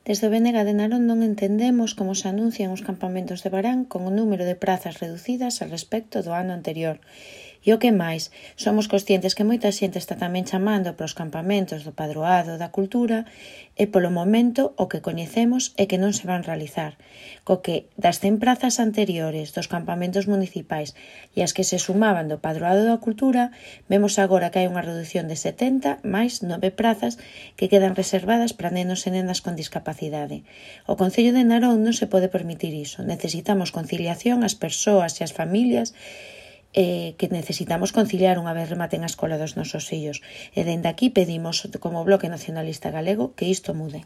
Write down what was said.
Desde o BNG de Narón non entendemos como se anuncian os campamentos de verán con o número de prazas reducidas a respecto do ano anterior. E o que máis, somos conscientes que moita xente está tamén chamando para os campamentos do Padroado da Cultura e polo momento o que coñecemos é que non se van realizar, co que das 100 prazas anteriores dos campamentos municipais e as que se sumaban do Padroado da Cultura, vemos agora que hai unha reducción de 70 máis 9 prazas que quedan reservadas para nenos e nenas con discapacidade. O Concello de Narón non se pode permitir iso. Necesitamos conciliación ás persoas e ás familias que necesitamos conciliar unha vez rematen a escola dos nosos fillos. E dende aquí pedimos, como Bloque Nacionalista Galego, que isto mude.